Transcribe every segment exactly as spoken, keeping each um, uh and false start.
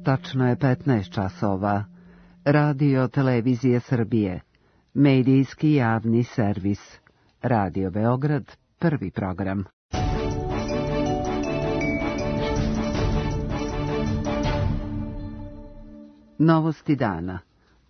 Tačno je petnaest časova. Radio Televizije Srbije. Medijski javni servis. Radio Beograd, prvi program. Novosti dana.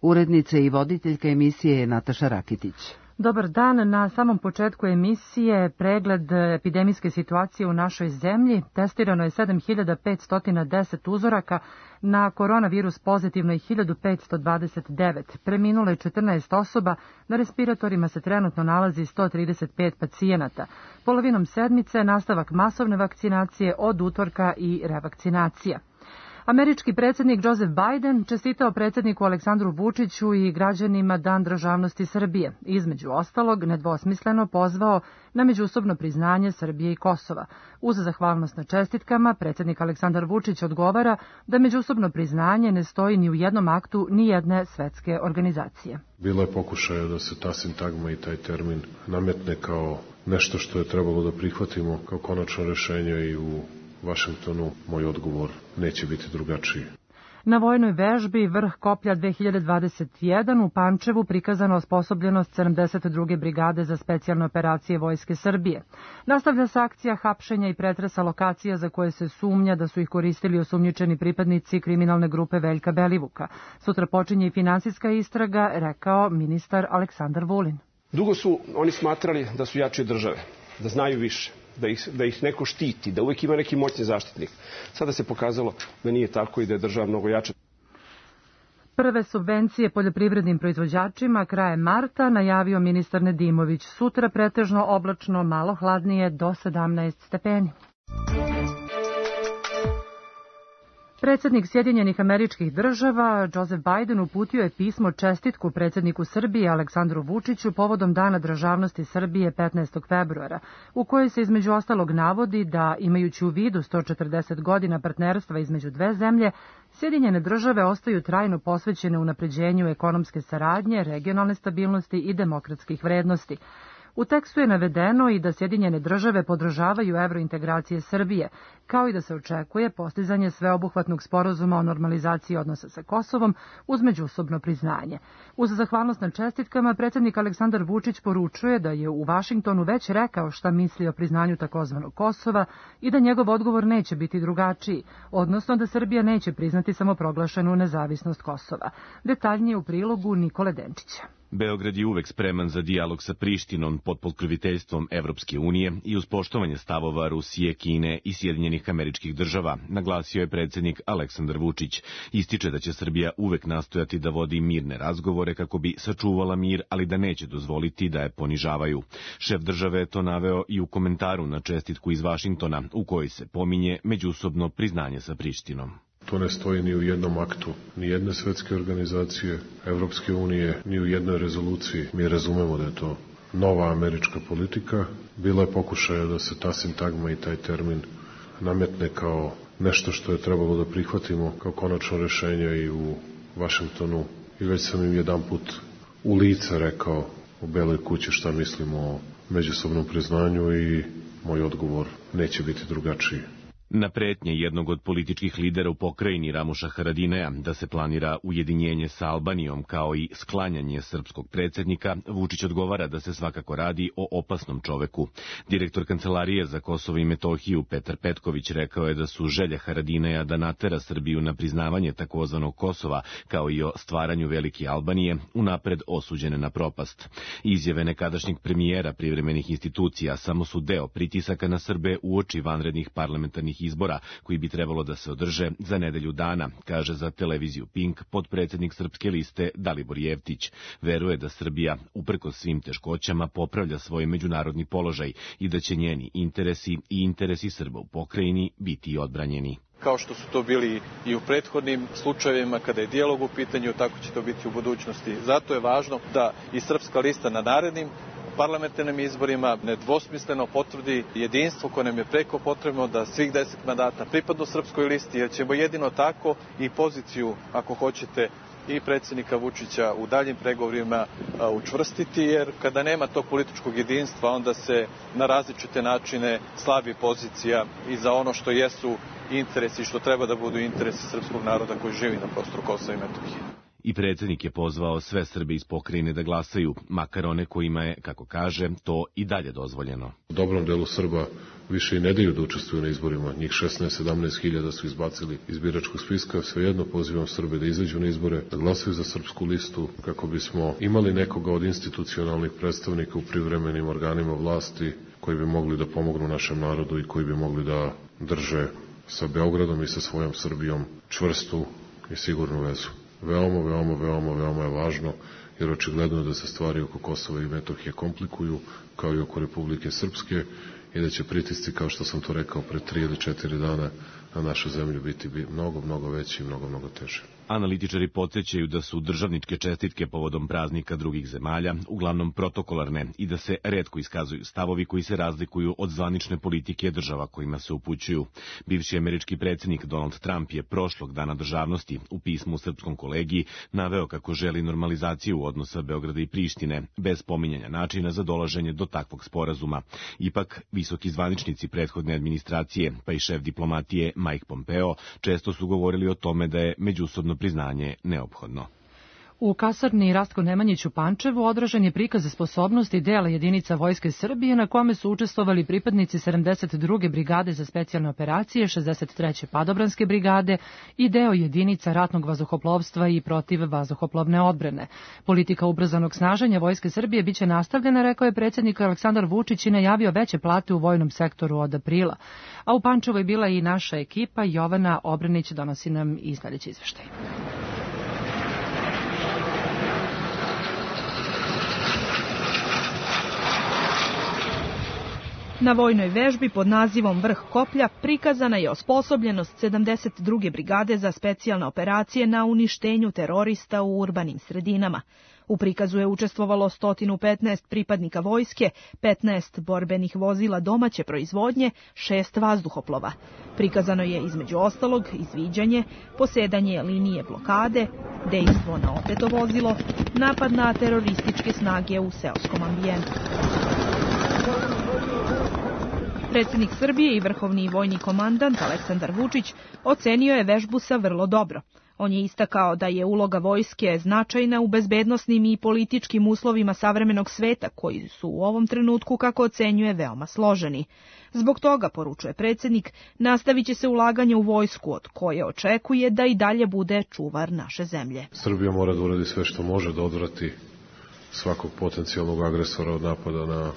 Urednica i voditeljka emisije je Nataša Rakitić. Dobar dan. Na samom početku emisije pregled epidemijske situacije u našoj zemlji. Testirano je sedam hiljada petsto deset uzoraka, na koronavirus pozitivno je hiljadu petsto dvadeset devet. Preminulo je četrnaest osoba, na respiratorima se trenutno nalazi sto trideset pet pacijenata. Polovinom sedmice nastavak masovne vakcinacije, od utorka i revakcinacija. Američki predsjednik Joseph Biden čestitao predsjedniku Aleksandru Vučiću i građanima Dan državnosti Srbije. Između ostalog, nedvosmisleno pozvao na međusobno priznanje Srbije i Kosova. Uz zahvalnost na čestitkama, predsjednik Aleksandar Vučić odgovara da međusobno priznanje ne stoji ni u jednom aktu ni jedne svetske organizacije. Bilo je pokušaja da se ta sintagma i taj termin nametne kao nešto što je trebalo da prihvatimo kao konačno rešenje i u Vašingtonu moj odgovor neće biti drugačiji. Na vojnoj vežbi Vrh koplja dve hiljade dvadeset jedan u Pančevu prikazana osposobljenost sedamdeset druge brigade za specijalne operacije Vojske Srbije. Nastavlja se akcija hapšenja i pretresa lokacija za koje se sumnja da su ih koristili osumnjičeni pripadnici kriminalne grupe Veljka Belivuka. Sutra počinje i finansijska istraga, rekao ministar Aleksandar Vulin. Dugo su oni smatrali da su jači od države, da znaju više, da ih, da ih neko štiti, da uvijek ima neki moćni zaštitnik. Sada se pokazalo da nije tako i da je država mnogo jača. Prve subvencije poljoprivrednim proizvođačima krajem marta najavio ministar Nedimović. Sutra pretežno oblačno, malo hladnije do sedamnaest stepeni. Predsjednik Sjedinjenih Američkih Država Joseph Biden uputio je pismo čestitku predsjedniku Srbije Aleksandru Vučiću povodom Dana državnosti Srbije petnaestog februara, u kojoj se između ostalog navodi da, imajući u vidu sto četrdeset godina partnerstva između dve zemlje, Sjedinjene Države ostaju trajno posvećene unapređenju ekonomske saradnje, regionalne stabilnosti i demokratskih vrednosti. U tekstu je navedeno i da Sjedinjene Države podržavaju evrointegracije Srbije, kao i da se očekuje postizanje sveobuhvatnog sporazuma o normalizaciji odnosa sa Kosovom uz međusobno priznanje. Uz zahvalnost na čestitkama, predsjednik Aleksandar Vučić poručuje da je u Vašingtonu već rekao šta misli o priznanju takozvanog Kosova i da njegov odgovor neće biti drugačiji, odnosno da Srbija neće priznati samoproglašenu nezavisnost Kosova. Detaljnije u prilogu Nikole Denčića. Beograd je uvek spreman za dijalog sa Prištinom pod pokroviteljstvom Evropske unije i uz poštovanje stavova Rusije, Kine i Sjedinjenih Američkih Država, naglasio je predsjednik Aleksandar Vučić. Ističe da će Srbija uvek nastojati da vodi mirne razgovore kako bi sačuvala mir, ali da neće dozvoliti da je ponižavaju. Šef države je to naveo i u komentaru na čestitku iz Vašingtona, u kojoj se pominje međusobno priznanje sa Prištinom. To ne stoji ni u jednom aktu, ni jedne svetske organizacije, Evropske unije, ni u jednoj rezoluciji. Mi razumemo da je to nova američka politika. Bilo je pokušaja da se ta sintagma i taj termin nametne kao nešto što je trebalo da prihvatimo kao konačno rešenje i u Vašingtonu. I već sam im jedan put u lice rekao u Beloj kući šta mislimo o međusobnom priznanju i moj odgovor neće biti drugačiji. Na pretnje jednog od političkih lidera u pokrajini Ramuša Haradinaja da se planira ujedinjenje sa Albanijom kao i sklanjanje srpskog predsjednika, Vučić odgovara da se svakako radi o opasnom čoveku. Direktor Kancelarije za Kosovo i Metohiju Petar Petković rekao je da su želje Haradinaja da natera Srbiju na priznavanje takozvanog Kosova kao i o stvaranju velike Albanije unapred osuđene na propast. Izjave nekadašnjeg premijera privremenih institucija samo su deo pritisaka na Srbe uoči vanrednih parlamentarnih izbora koji bi trebalo da se održe za nedelju dana, kaže za televiziju Pink potpredsjednik Srpske liste Dalibor Jevtić. Veruje da Srbija, uprkos svim teškoćama, popravlja svoj međunarodni položaj i da će njeni interesi i interesi Srba u pokrajini biti odbranjeni. Kao što su to bili i u prethodnim slučajevima kada je dijalog u pitanju, tako će to biti u budućnosti. Zato je važno da i Srpska lista na narednim parlamentarnim izborima nedvosmisleno potvrdi jedinstvo koje nam je preko potrebno da svih deset mandata pripadnu Srpskoj listi, jer ćemo jedino tako i poziciju, ako hoćete, i predsjednika Vučića u daljim pregovorima učvrstiti, jer kada nema tog političkog jedinstva, onda se na različite načine slabi pozicija i za ono što jesu interesi, što treba da budu interesi srpskog naroda koji živi na prostoru Kosova i Metohije. I predsjednik je pozvao sve Srbe iz pokrajine da glasaju, makar one kojima je, kako kaže, to i dalje dozvoljeno. U dobrom delu Srba više i ne daju da učestvuju na izborima. Njih šesnaest sedamnaest hiljada su izbacili iz biračkog spiska. Svejedno pozivam Srbe da izađu na izbore, da glasaju za srpsku listu, kako bismo imali nekoga od institucionalnih predstavnika u privremenim organima vlasti koji bi mogli da pomognu našem narodu i koji bi mogli da drže sa Beogradom i sa svojom Srbijom čvrstu i sigurnu vezu. Veoma, veoma, veoma, veoma je važno, jer očigledno je da se stvari oko Kosova i Metohije komplikuju, kao i oko Republike Srpske, i da će pritisci, kao što sam to rekao, pre tri ili četiri dana na našu zemlju biti mnogo, mnogo veći i mnogo, mnogo teže. Analitičari podsjećaju da su državničke čestitke povodom praznika drugih zemalja uglavnom protokolarne i da se retko iskazuju stavovi koji se razlikuju od zvanične politike država kojima se upućuju. Bivši američki predsjednik Donald Trump je prošlog dana državnosti u pismu u srpskom kolegiji naveo kako želi normalizaciju odnosa Beograda i Prištine, bez pominjanja načina za dolaženje do takvog sporazuma. Ipak, visoki zvaničnici prethodne administracije, pa i šef diplomatije Mike Pompeo, često su govorili o tome da je međusobno priznanje neophodno. U kasarni Rastko Nemanjić u Pančevu odražen je prikaz sposobnosti dela jedinica Vojske Srbije na kome su učestvovali pripadnici sedamdeset druge brigade za specijalne operacije, šezdeset treće padobranske brigade i deo jedinica ratnog vazduhoplovstva i protiv vazduhoplovne odbrane. Politika ubrzanog snaženja Vojske Srbije biće nastavljena, rekao je predsjednik Aleksandar Vučić i najavio veće plate u vojnom sektoru od aprila. A u Pančevu je bila i naša ekipa. Jovana Obranić donosi nam i sljedeći izveštaj. Na vojnoj vežbi pod nazivom Vrh koplja prikazana je osposobljenost sedamdeset druge brigade za specijalne operacije na uništenju terorista u urbanim sredinama. U prikazu je učestvovalo sto petnaest pripadnika vojske, petnaest borbenih vozila domaće proizvodnje, šest vazduhoplova. Prikazano je između ostalog izviđanje, posedanje linije blokade, dejstvo na opeto vozilo, napad na terorističke snage u seoskom ambijentu. Predsjednik Srbije i vrhovni vojni komandant Aleksandar Vučić ocenio je vežbu sa vrlo dobro. On je istakao da je uloga vojske značajna u bezbednosnim i političkim uslovima savremenog sveta, koji su u ovom trenutku, kako ocenjuje, veoma složeni. Zbog toga, poručuje predsjednik, nastavit će se ulaganje u vojsku, od koje očekuje da i dalje bude čuvar naše zemlje. Srbija mora da uradi sve što može da odvrati svakog potencijalnog agresora od napada na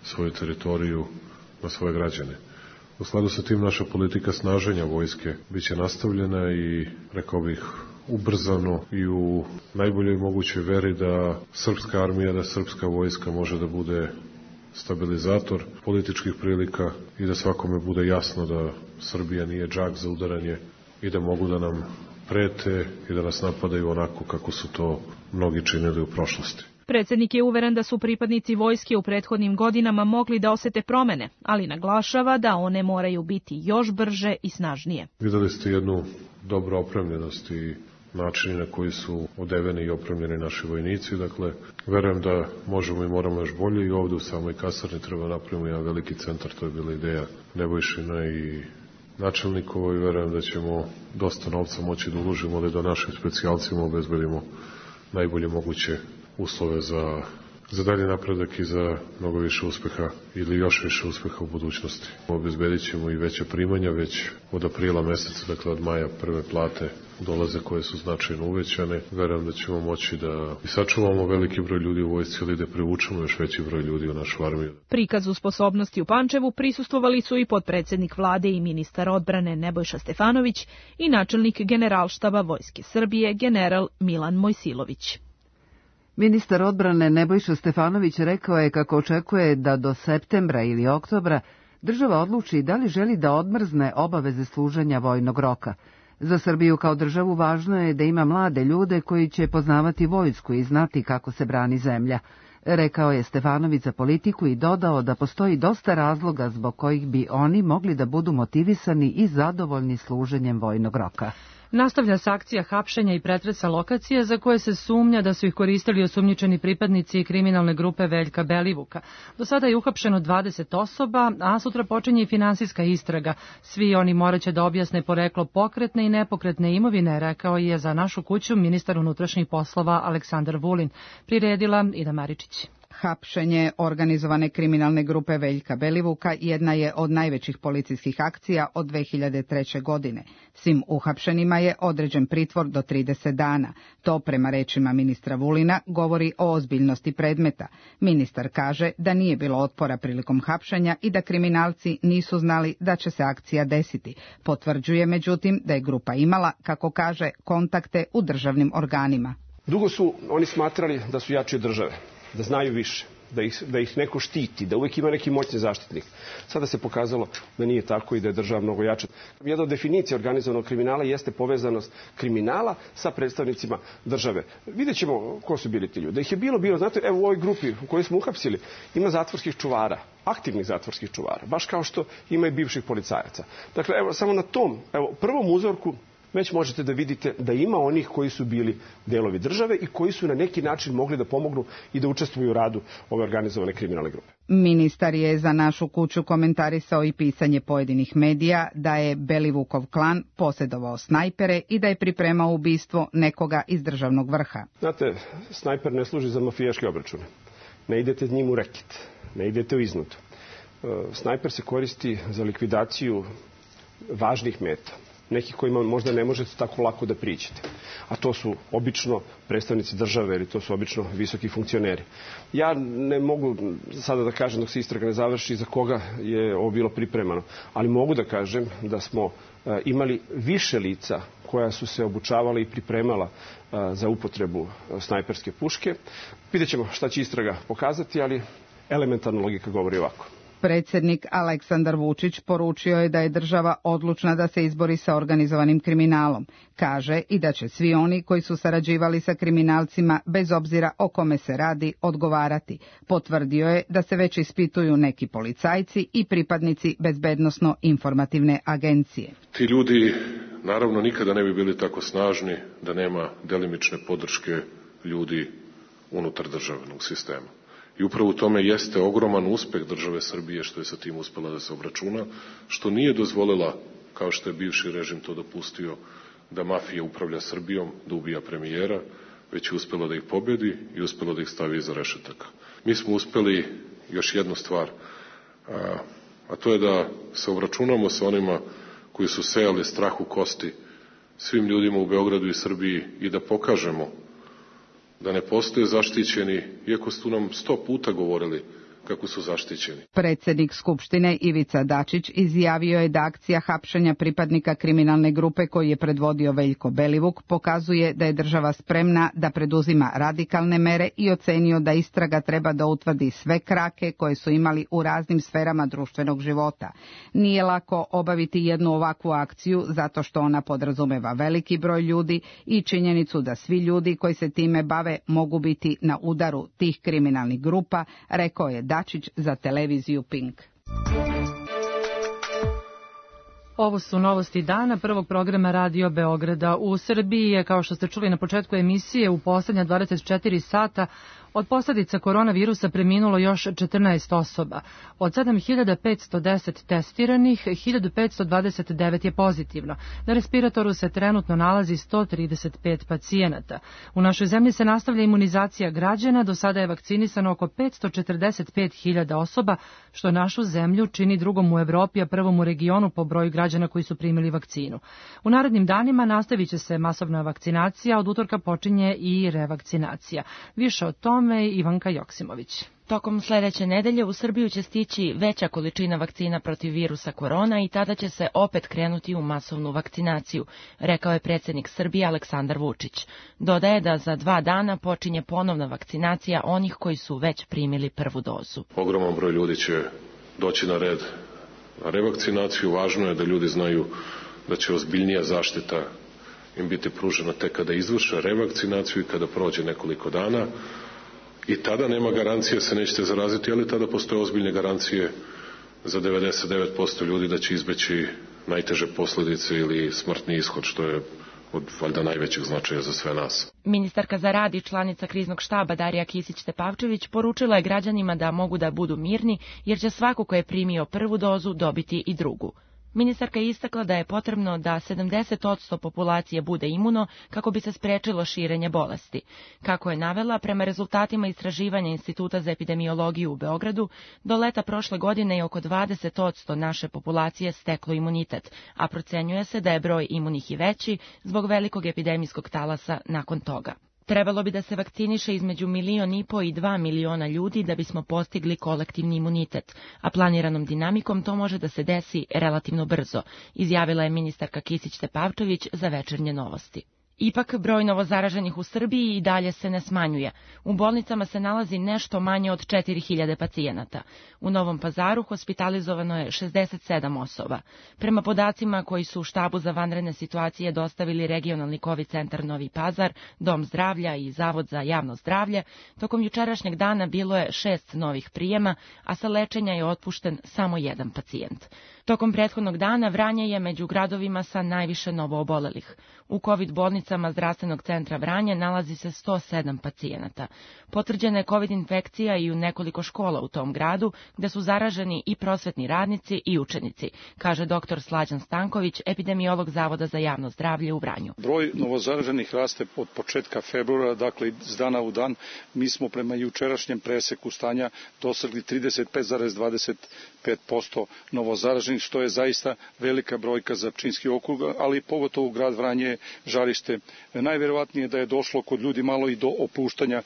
svoju teritoriju, na svoje građane. U skladu sa tim naša politika snaženja vojske biće nastavljena i, rekao bih, ubrzano i u najboljoj mogućoj veri da srpska armija, da srpska vojska može da bude stabilizator političkih prilika i da svakome bude jasno da Srbija nije džak za udaranje i da mogu da nam prete i da nas napadaju onako kako su to mnogi činili u prošlosti. Predsjednik je uveren da su pripadnici vojske u prethodnim godinama mogli da osete promene, ali naglašava da one moraju biti još brže i snažnije. Videli ste jednu dobru opremljenost i načini na koji su odeveni i opremljeni naši vojnici. Dakle, verujem da možemo i moramo još bolje i ovdje u samoj kasarni treba napravimo jedan veliki centar, to je bila ideja Nebojšina i načelnikova i verujem da ćemo dosta novca moći da uložimo, ali da našim specijalcima obezbedimo najbolje moguće uslove za, za dalje napredak i za mnogo više uspeha ili još više uspeha u budućnosti. Obezbedit ćemo i veće primanja, već od aprila meseca, dakle od maja prve plate dolaze koje su značajno uvećane. Verujem da ćemo moći da sačuvamo veliki broj ljudi u vojsci, ali da privučemo još veći broj ljudi u našu armiju. Prikazu sposobnosti u Pančevu prisustvovali su i potpredsjednik vlade i ministar odbrane Nebojša Stefanović i načelnik Generalštaba Vojske Srbije general Milan Mojsilović. Ministar odbrane Nebojša Stefanović rekao je kako očekuje da do septembra ili oktobra država odluči da li želi da odmrzne obaveze služenja vojnog roka. Za Srbiju kao državu važno je da ima mlade ljude koji će poznavati vojsku i znati kako se brani zemlja. rekao je Stefanović za Politiku i dodao da postoji dosta razloga zbog kojih bi oni mogli da budu motivisani i zadovoljni služenjem vojnog roka. Nastavlja se akcija hapšenja i pretresa lokacije za koje se sumnja da su ih koristili osumnjičeni pripadnici kriminalne grupe Veljka Belivuka. Do sada je uhapšeno dvadeset osoba, a sutra počinje i finansijska istraga. Svi oni moraće da objasne poreklo pokretne i nepokretne imovine, rekao je za Našu kuću ministar unutrašnjih poslova Aleksandar Vulin. Priredila Ida Maričić. Hapšenje organizovane kriminalne grupe Veljka Belivuka jedna je od najvećih policijskih akcija od dve hiljade treće. godine. Svim uhapšenima je određen pritvor do trideset dana. To, prema rečima ministra Vulina, govori o ozbiljnosti predmeta. Ministar kaže da nije bilo otpora prilikom hapšenja i da kriminalci nisu znali da će se akcija desiti. Potvrđuje, međutim, da je grupa imala, kako kaže, kontakte u državnim organima. Dugo su oni smatrali da su jači od države, da znaju više, da ih, da ih neko štiti, da uvijek ima neki moćni zaštitnik. Sada se pokazalo da nije tako i da je država mnogo jača. Jedna od definicija organizovanog kriminala jeste povezanost kriminala sa predstavnicima države. Vidjet ćemo ko su bili ti ljudi. Da ih je bilo, bilo, znate, evo u ovoj grupi u kojoj smo uhapsili ima zatvorskih čuvara, aktivnih zatvorskih čuvara, baš kao što ima i bivših policajaca. Dakle, evo, samo na tom, evo, prvom uzorku već možete da vidite da ima onih koji su bili delovi države i koji su na neki način mogli da pomognu i da učestvuju u radu ove organizovane kriminalne grupe. Ministar je za Našu kuću komentarisao i pisanje pojedinih medija da je Belivukov klan posjedovao snajpere i da je pripremao ubistvo nekoga iz državnog vrha. Znate, snajper ne služi za mafijaške obračune. Ne idete njim u reket, ne idete u iznudu. Snajper se koristi za likvidaciju važnih meta, nekih kojima možda ne možete tako lako da priđete. A to su obično predstavnici države ili to su obično visoki funkcioneri. Ja ne mogu sada da kažem dok se istraga ne završi za koga je ovo bilo pripremano, ali mogu da kažem da smo imali više lica koja su se obučavala i pripremala za upotrebu snajperske puške. Vidjet ćemo šta će istraga pokazati, ali elementarna logika govori ovako. Predsjednik Aleksandar Vučić poručio je da je država odlučna da se izbori sa organizovanim kriminalom. Kaže i da će svi oni koji su sarađivali sa kriminalcima, bez obzira o kome se radi, odgovarati. Potvrdio je da se već ispituju neki policajci i pripadnici bezbednosno-informativne agencije. Ti ljudi naravno nikada ne bi bili tako snažni da nema delimične podrške ljudi unutar državnog sistema. I upravo u tome jeste ogroman uspeh države Srbije što je sa tim uspela da se obračuna, što nije dozvolila, kao što je bivši režim to dopustio, da mafija upravlja Srbijom, da ubija premijera, već je uspela da ih pobedi i uspela da ih stavi iza rešetaka. Mi smo uspeli još jednu stvar, a, a to je da se obračunamo sa onima koji su sejali strah u kosti svim ljudima u Beogradu i Srbiji i da pokažemo da ne postoje zaštićeni, iako su nam sto puta govorili kako su zaštićeni. Predsjednik Skupštine Ivica Dačić izjavio je da akcija hapšenja pripadnika kriminalne grupe koju je predvodio Veljko Belivuk pokazuje da je država spremna da preduzima radikalne mere i ocenio da istraga treba da utvrdi sve krake koje su imali u raznim sferama društvenog života. Nije lako obaviti jednu ovakvu akciju zato što ona podrazumeva veliki broj ljudi i činjenicu da svi ljudi koji se time bave mogu biti na udaru tih kriminalnih grupa, rekao je Dačić za televiziju Pink. Ovo su novosti dana prvog programa Radio Beograda. U Srbiji je, kao što ste čuli na početku emisije, u poslednja dvadeset četiri sata od posljedica koronavirusa preminulo još četrnaest osoba. Od sedam hiljada petsto deset testiranih, hiljadu petsto dvadeset devet je pozitivno. Na respiratoru se trenutno nalazi sto trideset pet pacijenata. U našoj zemlji se nastavlja imunizacija građana, do sada je vakcinisano oko petsto četrdeset pet hiljada osoba, što našu zemlju čini drugom u Evropi, a prvom u regionu po broju građana koji su primili vakcinu. U narednim danima nastavit će se masovna vakcinacija, od utorka počinje i revakcinacija. Više o tome Ivanka Joksimović. Tokom sledeće nedelje u Srbiju će stići veća količina vakcina protiv virusa korona i tada će se opet krenuti u masovnu vakcinaciju, rekao je predsjednik Srbije Aleksandar Vučić. Dodaje da za dva dana počinje ponovna vakcinacija onih koji su već primili prvu dozu. Ogroman broj ljudi će doći na red na revakcinaciju. Važno je da ljudi znaju da će ozbiljnija zaštita im biti pružena tek kada izvrše revakcinaciju i kada prođe nekoliko dana. I tada nema garancije se nećete zaraziti, ali tada postoje ozbiljne garancije za devedeset devet posto ljudi da će izbeći najteže posljedice ili smrtni ishod, što je od valjda najvećeg značaja za sve nas. Ministarka za rad i članica kriznog štaba Darija Kisić-Tepavčević poručila je građanima da mogu da budu mirni, jer će svako ko je primio prvu dozu dobiti i drugu. Ministarka je istakla da je potrebno da sedamdeset posto populacije bude imuno kako bi se sprečilo širenje bolesti. Kako je navela, prema rezultatima istraživanja Instituta za epidemiologiju u Beogradu, do leta prošle godine je oko dvadeset posto naše populacije steklo imunitet, a procenjuje se da je broj imunih i veći zbog velikog epidemijskog talasa nakon toga. Trebalo bi da se vakciniše između milion i po i dva miliona ljudi da bismo postigli kolektivni imunitet, a planiranom dinamikom to može da se desi relativno brzo, izjavila je ministarka Kisić-Tepavčević za Večernje novosti. Ipak, broj novozaraženih u Srbiji i dalje se ne smanjuje. U bolnicama se nalazi nešto manje od četiri hiljade pacijenata. U Novom Pazaru hospitalizovano je šezdeset sedam osoba. Prema podacima koji su u štabu za vanredne situacije dostavili regionalni kovid centar Novi Pazar, Dom zdravlja i Zavod za javno zdravlje, tokom jučerašnjeg dana bilo je šest novih prijema, a sa lečenja je otpušten samo jedan pacijent. Tokom prethodnog dana Vranje je među gradovima sa najviše novoobolelih. U kovid bolnicama zdravstvenog centra Vranje nalazi se sto sedam pacijenata. Potvrđena je kovid infekcija i u nekoliko škola u tom gradu, gde su zaraženi i prosvetni radnici i učenici, kaže doktor Slađan Stanković, epidemiolog Zavoda za javno zdravlje u Vranju. Broj novozaraženih raste od početka februara, dakle iz dana u dan. Mi smo prema jučerašnjem preseku stanja dosegli trideset pet zarez dvadeset pet posto novozaraženih, što je zaista velika brojka za Pčinjski okrug, ali pogotovo u grad Vranje je žarište. Najverovatnije da je došlo kod ljudi malo i do opuštanja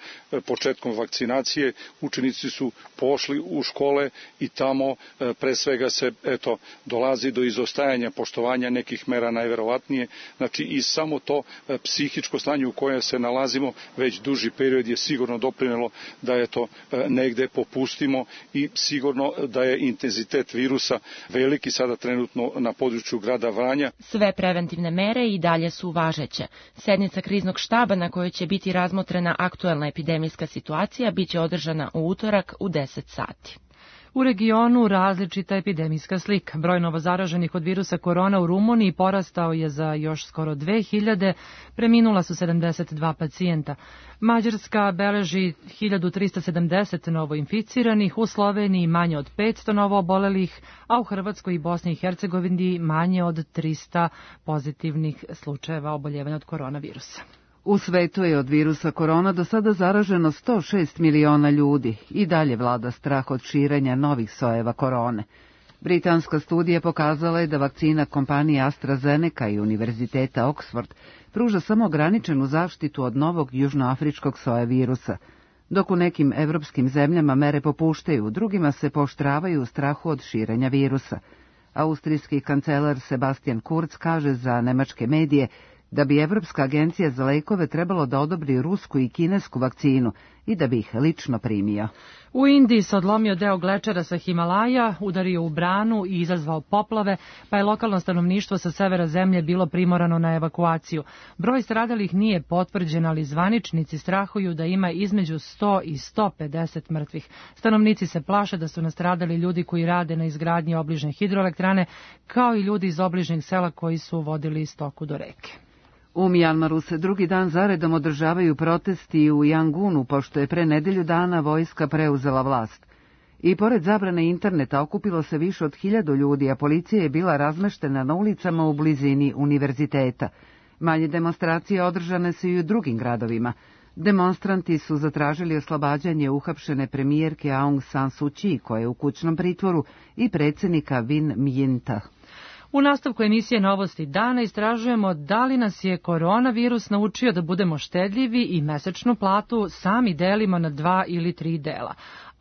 početkom vakcinacije. Učenici su pošli u škole i tamo pre svega se eto dolazi do izostajanja poštovanja nekih mera najverovatnije. Znači i samo to psihičko stanje u kojem se nalazimo već duži period je sigurno doprinelo da je to negde popustimo i sigurno da je intenzitet virusa veliki sada trenutno na području grada Vranja. Sve preventivne mere i dalje su važeće. Sednica kriznog štaba na kojoj će biti razmotrena aktuelna epidemijska situacija biće održana u utorak u deset sati. U regionu različita epidemijska slika. Broj novozaraženih od virusa korona u Rumuniji porastao je za još skoro dve hiljade, preminula su sedamdeset dva pacijenta. Mađarska beleži hiljadu trista sedamdeset novoinficiranih, u Sloveniji manje od petsto novoobolelih, a u Hrvatskoj i Bosni i Hercegovini manje od trista pozitivnih slučajeva oboljevanja od koronavirusa. U svetu je od virusa korona do sada zaraženo sto šest miliona ljudi i dalje vlada strah od širenja novih sojeva korone. Britanska studija pokazala je da vakcina kompanije AstraZeneca i Univerziteta Oxford pruža samo ograničenu zaštitu od novog južnoafričkog soja virusa, dok u nekim evropskim zemljama mere popuštaju, drugima se pooštravaju u strahu od širenja virusa. Austrijski kancelar Sebastian Kurz kaže za nemačke medije da bi Evropska agencija za lekove trebalo da odobri rusku i kinesku vakcinu i da bi ih lično primio. U Indiji se odlomio deo glečera sa Himalaja, udario u branu i izazvao poplave, pa je lokalno stanovništvo sa severa zemlje bilo primorano na evakuaciju. Broj stradalih nije potvrđen, ali zvaničnici strahuju da ima između sto i sto pedeset mrtvih. Stanovnici se plaše da su nastradali ljudi koji rade na izgradnji obližnje hidroelektrane, kao i ljudi iz obližnjeg sela koji su vodili stoku do reke. U Mjanmaru se drugi dan zaredom održavaju protesti u Jangunu, pošto je pre nedelju dana vojska preuzela vlast. I pored zabrane interneta okupilo se više od hiljadu ljudi, a policija je bila razmeštena na ulicama u blizini univerziteta. Manje demonstracije održane su i u drugim gradovima. Demonstranti su zatražili oslobađanje uhapšene premijerke Aung San Suu Kyi, koja je u kućnom pritvoru, i predsjednika Win Myinta. U nastavku emisije Novosti dana istražujemo da li nas je koronavirus naučio da budemo štedljivi i mesečnu platu sami delimo na dva ili tri dela.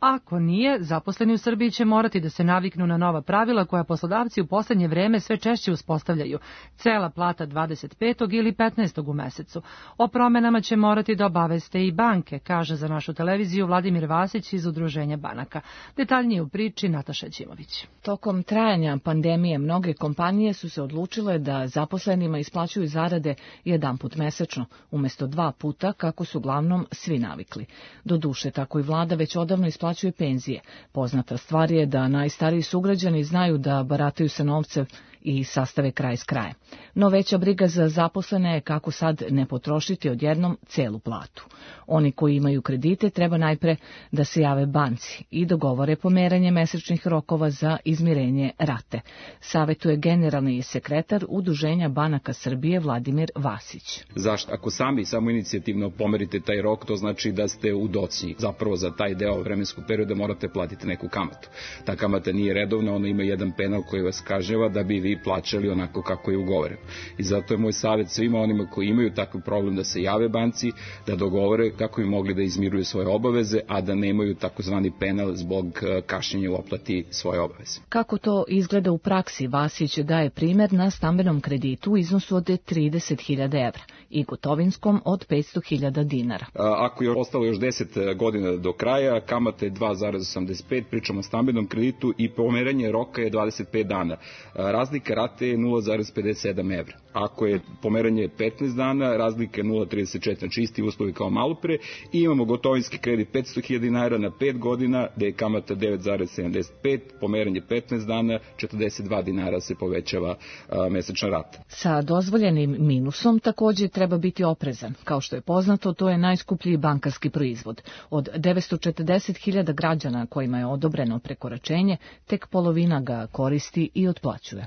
Ako nije, zaposleni u Srbiji će morati da se naviknu na nova pravila koja poslodavci u poslednje vreme sve češće uspostavljaju. Cela plata dvadeset petog ili petnaestog u mesecu. O promenama će morati da obaveste i banke, kaže za našu televiziju Vladimir Vasić iz Udruženja banaka. Detaljnije u priči Nataša Ćimović. Tokom trajanja pandemije mnoge kompanije su se odlučile da zaposlenima isplaćuju zarade jedanput mesečno, umesto dva puta kako su uglavnom svi navikli. Doduše, tako i vlada već odavno isplaćuje penzije. Poznata stvar je da najstariji sugrađani znaju da barataju sa novcem i sastave kraj s krajem. No veća briga za zaposlene je kako sad ne potrošiti odjednom celu platu. Oni koji imaju kredite treba najpre da se jave banci i dogovore pomeranje mesečnih rokova za izmirenje rate. Savetuje generalni sekretar Udruženja banaka Srbije Vladimir Vasić. Zašto? Ako sami samoinicijativno pomerite taj rok, to znači da ste u docnji. Zapravo za taj deo vremenskog perioda morate platiti neku kamatu. Ta kamata nije redovna, ona ima jedan penal koji vas kažnjava da bi vi plaćali onako kako je ugovoreno. I zato je moj savjet svima onima koji imaju takav problem da se jave banci, da dogovore kako bi mogli da izmiruju svoje obaveze, a da nemaju takozvani penal zbog kašnjenja u oplati svoje obaveze. Kako to izgleda u praksi, Vasić daje primjer na stambenom kreditu u iznosu od trideset hiljada evra i gotovinskom od petsto hiljada dinara. Ako je ostalo još deset godina do kraja, kamata je dva zarez osamdeset pet, pričamo o stambenom kreditu i pomeranje roka je dvadeset pet dana. Razlika rate je nula zarez pedeset sedam evra. Ako je pomeranje petnaest dana, razlika je nula zarez trideset četiri, znači isti uslovi kao malo pre, i imamo gotovinski kredit petsto hiljada dinara na pet godina, gde je kamata devet zarez sedamdeset pet, pomeranje petnaest dana, četrdeset dva dinara se povećava a, mesečna rata. Sa dozvoljenim minusom takođe treba biti oprezan. Kao što je poznato, to je najskuplji bankarski proizvod. Od devetsto četrdeset hiljada građana kojima je odobreno prekoračenje, tek polovina ga koristi i otplaćuje.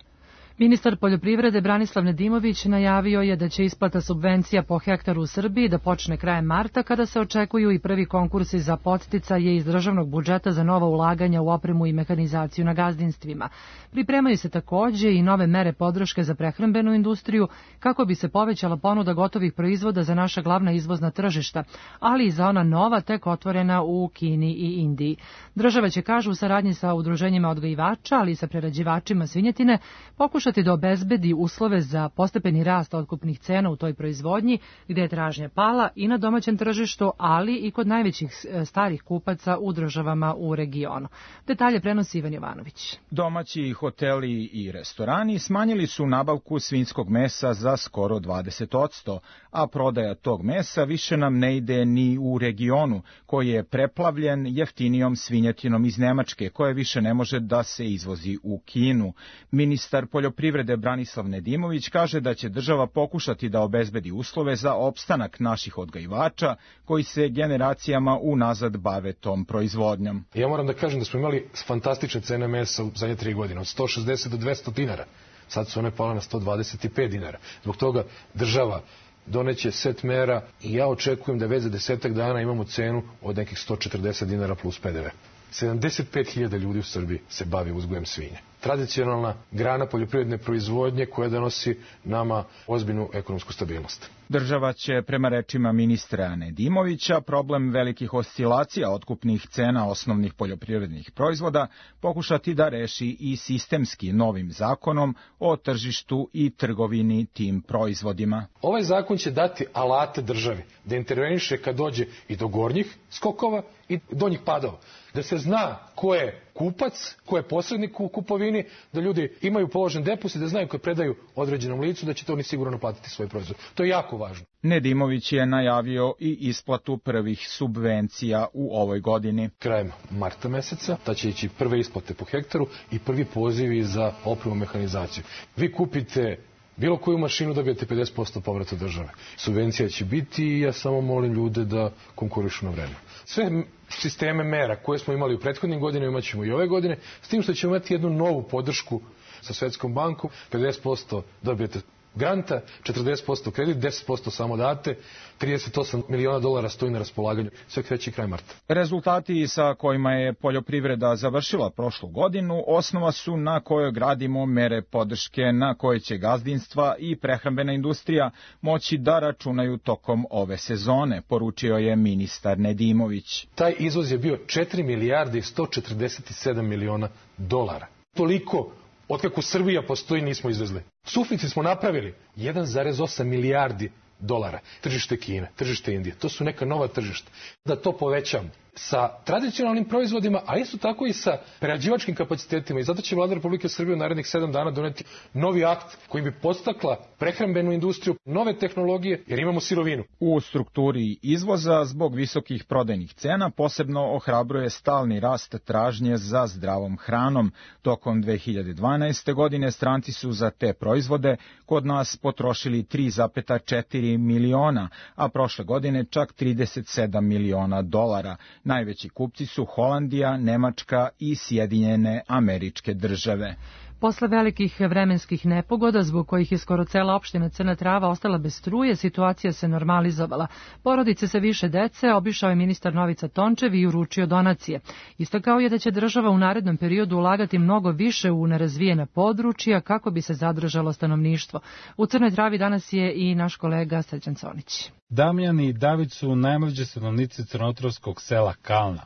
Ministar poljoprivrede Branislav Nedimović najavio je da će isplata subvencija po hektaru u Srbiji da počne krajem marta, kada se očekuju i prvi konkursi za podsticaje iz državnog budžeta za nova ulaganja u opremu i mehanizaciju na gazdinstvima. Pripremaju se takođe i nove mere podrške za prehrambenu industriju kako bi se povećala ponuda gotovih proizvoda za naša glavna izvozna tržišta, ali i za ona nova tek otvorena u Kini i Indiji. Država će, kažu, u saradnji sa udruženjima odgajivača, ali i sa prerađivačima svinjetine, pokušati da obezbedi uslove za postepeni rast otkupnih cena u toj proizvodnji, gde je tražnja pala i na domaćem tržištu, ali i kod najvećih starih kupaca u državama u regionu. Detalje prenosi Ivan Jovanović. Domaći hoteli i restorani smanjili su nabavku svinjskog mesa za skoro dvadeset posto, a prodaja tog mesa više nam ne ide ni u regionu, koji je preplavljen jeftinijom svinjetinom iz Nemačke, koja više ne može da se izvozi u Kinu. Ministar poljoprivrede Branislav Nedimović kaže da će država pokušati da obezbedi uslove za opstanak naših odgajivača koji se generacijama unazad bave tom proizvodnjom. Ja moram da kažem da smo imali fantastične cene mesa u zadnje tri godine, od sto šezdeset do dvesta dinara. Sad su one pale na sto dvadeset pet dinara. Zbog toga država doneće set mera i ja očekujem da već za desetak dana imamo cenu od nekih sto četrdeset dinara plus pe de ve. sedamdeset pet hiljada ljudi u Srbiji se bavi uzgojem svinja. Tradicionalna grana poljoprivredne proizvodnje koja donosi nama ozbiljnu ekonomsku stabilnost. Država će, prema rečima ministra Nedimovića, problem velikih oscilacija otkupnih cena osnovnih poljoprivrednih proizvoda pokušati da reši i sistemski novim zakonom o tržištu i trgovini tim proizvodima. Ovaj zakon će dati alate državi da interveniše kad dođe i do gornjih skokova i donjih padova. Da se zna ko je kupac, ko je posrednik u kupovini, da ljudi imaju položen depozit, da znaju kad predaju određenom licu da će to oni sigurno naplatiti svoj proizvod. To je jako važno. Nedimović je najavio i isplatu prvih subvencija u ovoj godini. Krajem marta meseca ta će ići prve isplate po hektaru i prvi pozivi za opremu mehanizaciju. Vi kupite bilo koju mašinu, dobijete pedeset posto povrata države. Subvencija će biti i ja samo molim ljude da konkurišu na vreme. Sve sisteme mera koje smo imali u prethodnim godinama imat ćemo i ove godine, s tim što ćemo imati jednu novu podršku sa Svetskom bankom. pedeset posto dobijete granta, četrdeset posto kredit, deset posto samo date, trideset osam miliona dolara stoji na raspolaganju. Sve kreće kraj marta. Rezultati sa kojima je poljoprivreda završila prošlu godinu osnova su na kojoj gradimo mere podrške na koje će gazdinstva i prehrambena industrija moći da računaju tokom ove sezone, poručio je ministar Nedimović. Taj izvoz je bio četiri milijarde i sto četrdeset sedam miliona dolara. Toliko otkako Srbija postoji nismo izvezli. Suficit smo napravili jedan zarez osam milijardi dolara. Tržište Kine, tržište Indije, to su neka nova tržišta. Da to povećamo sa tradicionalnim proizvodima, a isto tako i sa prerađivačkim kapacitetima. I zato će Vlada Republike Srbije u narednih sedam dana doneti novi akt kojim bi podstakla prehrambenu industriju, nove tehnologije, jer imamo sirovinu. U strukturi izvoza zbog visokih prodajnih cena posebno ohrabruje stalni rast tražnje za zdravom hranom. Tokom dve hiljade dvanaeste. godine stranci su za te proizvode kod nas potrošili tri zarez četiri miliona, a prošle godine čak trideset sedam miliona dolara. Najveći kupci su Holandija, Nemačka i Sjedinjene Američke Države. Posle velikih vremenskih nepogoda, zbog kojih je skoro cela opština Crna Trava ostala bez struje, situacija se normalizovala. Porodice sa više dece obišao je ministar Novica Tončev i uručio donacije. Istakao je da će država u narednom periodu ulagati mnogo više u nerazvijena područja kako bi se zadržalo stanovništvo. U Crnoj Travi danas je i naš kolega Srećan Conić. Damjan i David su najmlađi stanovnici crnotravskog sela Kalna.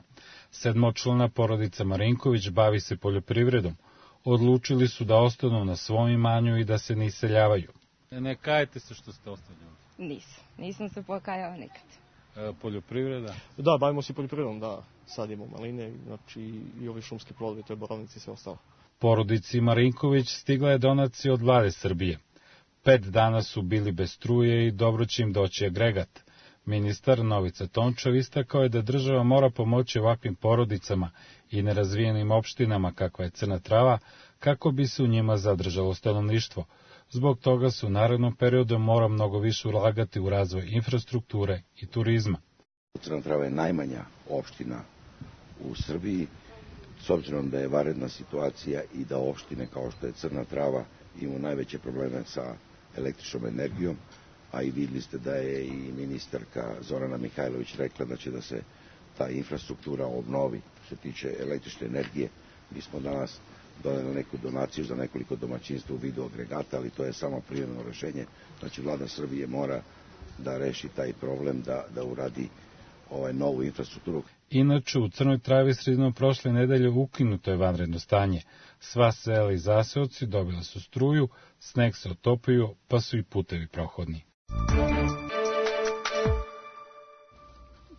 Sedmočlana porodica Marinković bavi se poljoprivredom. Odlučili su da ostanu na svom imanju i da se ne iseljavaju. Ne kajete se što ste ostali ovdje? Nisam, nisam se pokajao nikad. E, poljoprivreda? Da, bavimo se poljoprivredom, da. Sadimo maline, znači i ovi šumski plodovi, to je borovnici i sve ostalo. Porodici Marinković stigla je donacija od Vlade Srbije. Pet dana su bili bez struje i dobro će im doći agregat. Ministar Novica Tončev istakao je da država mora pomoći ovakvim porodicama i nerazvijenim opštinama kakva je Crna Trava, kako bi se u njima zadržalo stanovništvo. Zbog toga se u narednom periodu mora mnogo više ulagati u razvoj infrastrukture i turizma. Crna Trava je najmanja opština u Srbiji, s obzirom da je vanredna situacija i da opštine kao što je Crna Trava imaju najveće probleme sa električnom energijom, a i vidjeli ste da je i ministarka Zorana Mihajlović rekla da će da se ta infrastruktura obnovi što se tiče električne energije. Mi smo danas doneli neku donaciju za nekoliko domaćinstva u vidu agregata, ali to je samo privremeno rešenje. Znači, Vlada Srbije mora da reši taj problem, da, da uradi ovaj novu infrastrukturu. Inače, u Crnoj Travi sredinom prošle nedelje ukinuto je vanredno stanje. Sva sela i zaseoci dobila su struju, sneg se otopio, pa su i putevi prohodni.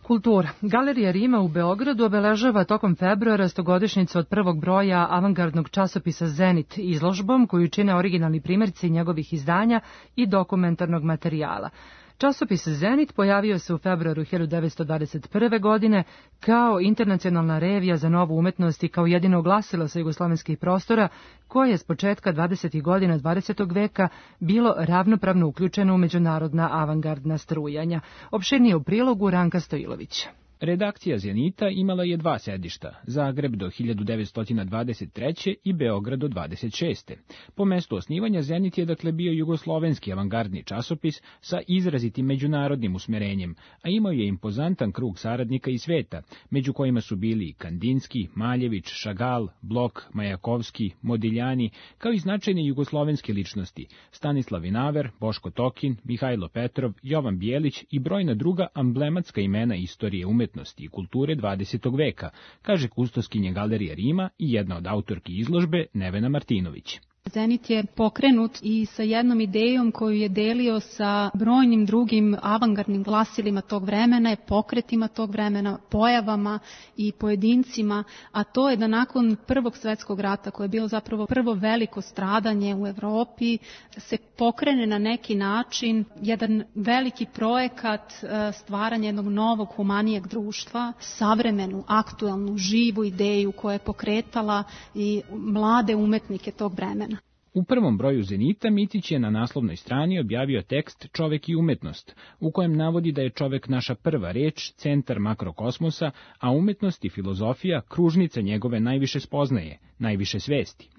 Kultura. Galerija Rima u Beogradu obeležava tokom februara stogodišnjicu od prvog broja avangardnog časopisa Zenit izložbom koju čine originalni primjerci njegovih izdanja i dokumentarnog materijala. Časopis Zenit pojavio se u februaru hiljadu devetsto dvadeset prve. godine kao internacionalna revija za novu umetnost i kao jedino glasilo sa jugoslovenskih prostora koje je s početka dvadesetih godina dvadesetog veka bilo ravnopravno uključeno u međunarodna avangardna strujanja. Opširnije u prilogu Ranka Stojilovića. Redakcija Zenita imala je dva sedišta, Zagreb do hiljadu devetsto dvadeset treće. i Beograd do dvadeset šeste. Po mestu osnivanja Zenit je dakle bio jugoslovenski avangardni časopis sa izrazitim međunarodnim usmerenjem, a imao je impozantan krug saradnika iz sveta, među kojima su bili Kandinski, Maljević, Šagal, Blok, Majakovski, Modiljani, kao i značajne jugoslovenske ličnosti, Stanislav Vinaver, Boško Tokin, Mihajlo Petrov, Jovan Bijelić i brojna druga amblematska imena istorije umetnosti i kulture dvadesetog veka, kaže kustoskinja Galerije Rima i jedna od autorki izložbe Nevena Martinović. Zenit je pokrenut i sa jednom idejom koju je delio sa brojnim drugim avangardnim glasilima tog vremena, pokretima tog vremena, pojavama i pojedincima, a to je da nakon Prvog svetskog rata, koje je bilo zapravo prvo veliko stradanje u Evropi, se pokrene na neki način jedan veliki projekat stvaranja jednog novog humanijeg društva, savremenu, aktuelnu, živu ideju koja je pokretala i mlade umetnike tog vremena. U prvom broju Zenita Mitić je na naslovnoj strani objavio tekst Čovek i umetnost, u kojem navodi da je čovek naša prva reč, centar makrokosmosa, a umetnost i filozofija kružnica njegove najviše spoznaje, najviše svesti.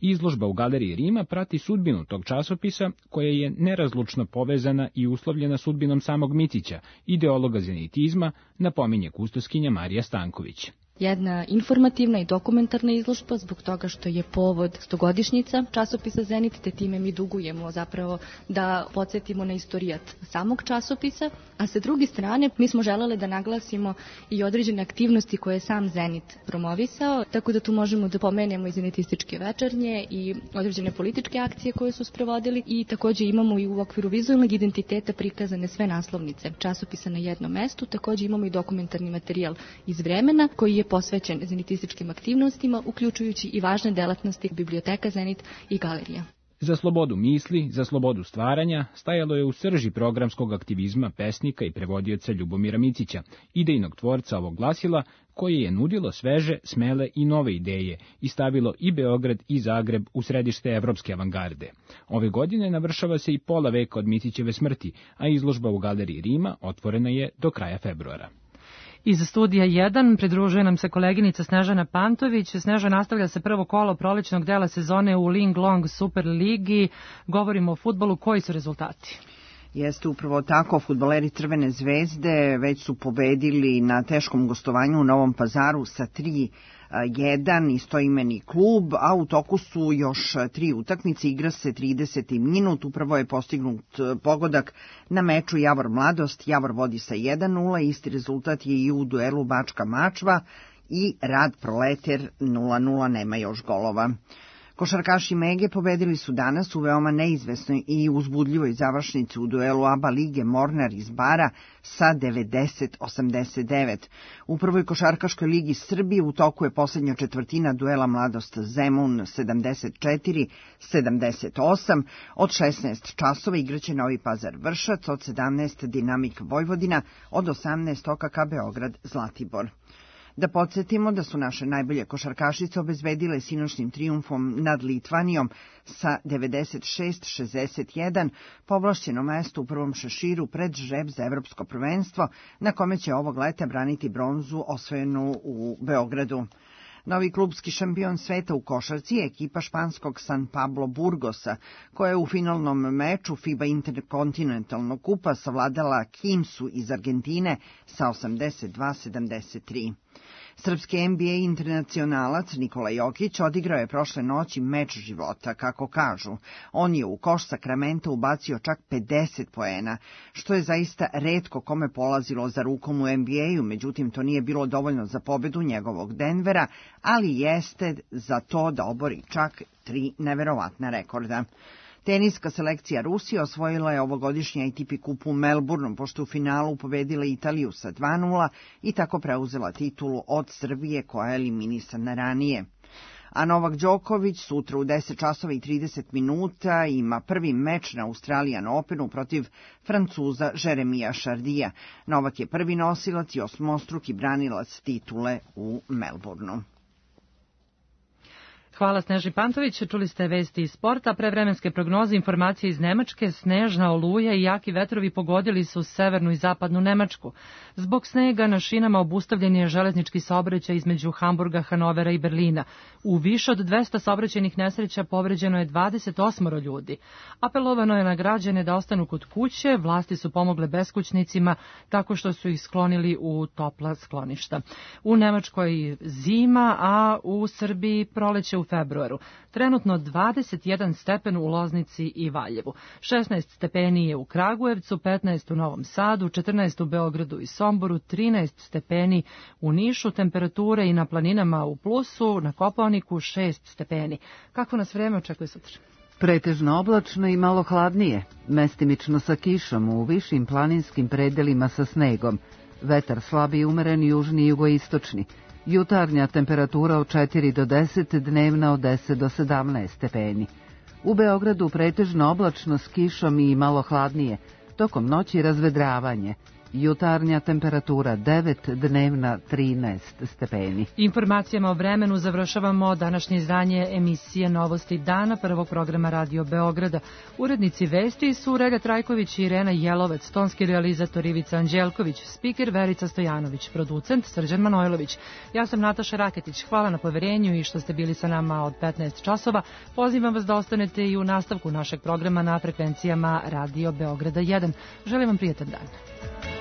Izložba u Galeriji Rima prati sudbinu tog časopisa, koja je nerazlučno povezana i uslovljena sudbinom samog Micića, ideologa zenitizma, napominje kustoskinja Marija Stanković. Jedna informativna i dokumentarna izložba zbog toga što je povod stogodišnjica časopisa Zenit, te time mi dugujemo zapravo da podsjetimo na istorijat samog časopisa, a sa druge strane mi smo želeli da naglasimo i određene aktivnosti koje je sam Zenit promovisao, tako da tu možemo da pomenemo i zenitističke večernje i određene političke akcije koje su sprovodili i takođe imamo i u okviru vizualnog identiteta prikazane sve naslovnice časopisa na jednom mestu, takođe imamo i dokumentarni materijal iz vremena koji je posvećen zenitističkim aktivnostima, uključujući i važne delatnosti biblioteka Zenit i galerija. Za slobodu misli, za slobodu stvaranja stajalo je u srži programskog aktivizma pesnika i prevodioca Ljubomira Micića, idejnog tvorca ovog glasila, koje je nudilo sveže, smele i nove ideje i stavilo i Beograd i Zagreb u središte evropske avangarde. Ove godine navršava se i pola veka od Micićeve smrti, a izložba u Galeriji Rima otvorena je do kraja februara. Iz studija jedan pridružuje nam se koleginica Snežana Pantović. Sneža, nastavlja se prvo kolo prolećnog dela sezone u Ling Long Super Ligi. Govorimo o fudbalu. Koji su rezultati? Jeste upravo tako, fudbaleri Crvene zvezde već su pobedili na teškom gostovanju u Novom Pazaru sa tri jedan istoimeni klub, a u toku su još tri utakmice, igra se trideseti minut, upravo je postignut pogodak na meču Javor Mladost, Javor vodi sa jedan nula, isti rezultat je i u duelu Bačka Mačva i Rad Proleter nula nula, nema još golova. Košarkaši Mege pobedili su danas u veoma neizvesnoj i uzbudljivoj završnici u duelu A B A lige Mornar iz Bara sa devedeset osamdeset devet. U prvoj košarkaškoj ligi Srbije u toku je poslednja četvrtina duela Mladost Zemun sedamdeset četiri sedamdeset osam. Od šesnaest časova igraće Novi Pazar Vršac, od sedamnaest Dinamik Vojvodina, od osamnaest O K K Beograd Zlatibor. Da podsjetimo da su naše najbolje košarkašice obezbedile sinoćnim trijumfom nad Litvanijom sa devedeset šest šezdeset jedan povlašćeno mesto u prvom šeširu pred žreb za evropsko prvenstvo, na kome će ovog leta braniti bronzu osvojenu u Beogradu. Novi klubski šampion sveta u košarci je ekipa španskog San Pablo Burgosa, koja je u finalnom meču FIBA Interkontinentalnog kupa savladala Kimsu iz Argentine sa osamdeset dva sedamdeset tri. Srpski N B A internacionalac Nikola Jokić odigrao je prošle noći meč života, kako kažu. On je u koš Sakramenta ubacio čak pedeset poena, što je zaista retko kome polazilo za rukom u N B A-u, međutim to nije bilo dovoljno za pobedu njegovog Denvera, ali jeste za to da obori čak tri neverovatna rekorda. Teniska selekcija Rusije osvojila je ovogodišnji A T P kup u Melbourneu, pošto u finalu pobedila Italiju sa dva nula i tako preuzela titulu od Srbije, koja je eliminisana ranije. A Novak Đoković sutra u deset časova i trideset minuta ima prvi meč na Australian Openu protiv Francuza Jeremija Šardija. Novak je prvi nosilac i osmostruki branilac titule u Melbourneu. Hvala Sneži Pantović. Čuli ste vesti iz sporta, prevremenske prognoze, informacije iz Nemačke. Snežna oluja i jaki vetrovi pogodili su severnu i zapadnu Nemačku. Zbog snega na šinama obustavljen je železnički saobraćaj između Hamburga, Hanovera i Berlina. U više od dvesta saobraćajnih nesreća povređeno je dvadeset osam ljudi. Apelovano je na građane da ostanu kod kuće, vlasti su pomogle beskućnicima tako što su ih sklonili u topla skloništa. U Nemačkoj zima, a u Srbiji proleće u februaru. Trenutno dvadeset jedan stepen u Loznici i Valjevu. šesnaest stepeni je u Kragujevcu, petnaest u Novom Sadu, četrnaest u Beogradu i Somboru, trinaest stepeni u Nišu, temperature i na planinama u plusu, na Kopaoniku šest stepeni. Kako nas vreme očekuje sutra? Pretežno oblačno i malo hladnije, mestimično sa kišom u višim planinskim predelima sa snegom. Vetar slabi i umeren južni i jugoistočni. Jutarnja temperatura od četiri do deset, dnevna od deset do sedamnaest stepeni. U Beogradu pretežno oblačno s kišom i malo hladnije, tokom noći razvedravanje. jutarnja temperatura devet, dnevna trinaest stepeni. Informacijama o vremenu završavamo današnje izdanje emisije Novosti dana prvog programa Radio Beograda. Urednici vesti su Relja Trajković i Irena Jelovec, tonski realizator Ivica Anđelković, spiker Verica Stojanović, producent Srđan Manojlović. Ja sam Nataša Raketić. Hvala na poverenju i što ste bili sa nama od petnaest časova. Pozivam vas da ostanete i u nastavku našeg programa na frekvencijama Radio Beograda jedan. Želim vam prijetan dan.